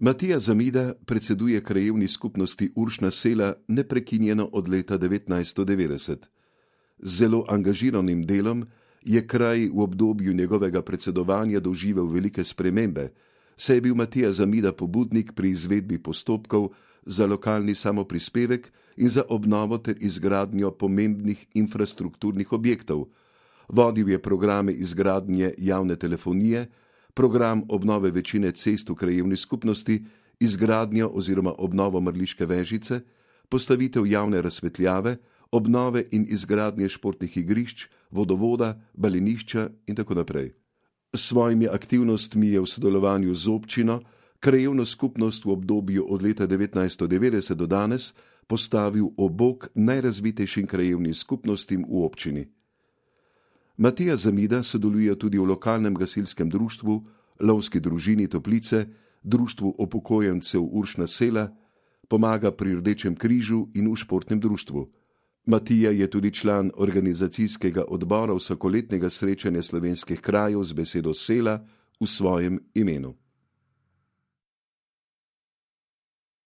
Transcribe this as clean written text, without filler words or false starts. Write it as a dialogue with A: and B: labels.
A: Matija Zamida predseduje krajevni skupnosti Uršna sela neprekinjeno od leta 1990. Z zelo angažiranim delom je kraj v obdobju njegovega predsedovanja doživel velike spremembe, saj je bil Matija Zamida pobudnik pri izvedbi postopkov za lokalni samoprispevek in za obnovo ter izgradnjo pomembnih infrastrukturnih objektov. Vodil je programe izgradnje javne telefonije, program obnove večine cest v krajevni skupnosti, izgradnjo oziroma obnovo Mrliške Vežice, postavitev javne razsvetljave, obnove in izgradnje športnih igrišč, vodovoda, balinišča in tako naprej. S svojimi aktivnostmi je v sodelovanju z občino krajevno skupnost v obdobju od leta 1990 do danes postavil ob bok najrazvitejšim krajevnim skupnostim v občini. Matija Zamida sodeluje tudi v lokalnem gasilskem društvu, lovski družini Toplice, društvu upokojencev Uršna sela, pomaga pri Rdečem križu in v športnem društvu. Matija je tudi član organizacijskega odbora vsakoletnega srečanja slovenskih krajev z besedo sela v svojem imenu.